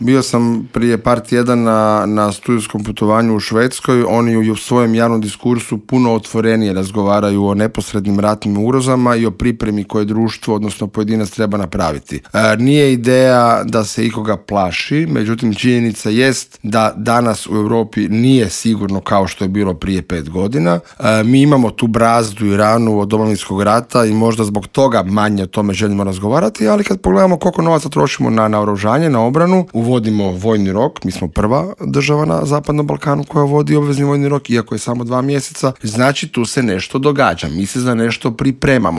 Bio sam prije par tjedana na studijskom putovanju u Švedskoj. Oni u svojem javnom diskursu puno otvorenije razgovaraju o neposrednim ratnim ugrozama i o pripremi koje društvo, odnosno pojedinac, treba napraviti. Nije ideja da se ikoga plaši, međutim činjenica jest da danas u Europi nije sigurno kao što je bilo prije 5 godina. Mi imamo tu brazdu i ranu od Domovinskog rata i možda zbog toga manje o tome želimo razgovarati, ali kad pogledamo koliko novaca trošimo na naoružanje, na obranu, uvodimo vojni rok, mi smo prva država na Zapadnom Balkanu koja vodi obvezni vojni rok, iako je samo 2 mjeseca, znači tu se nešto događa, mi se za nešto pripremamo.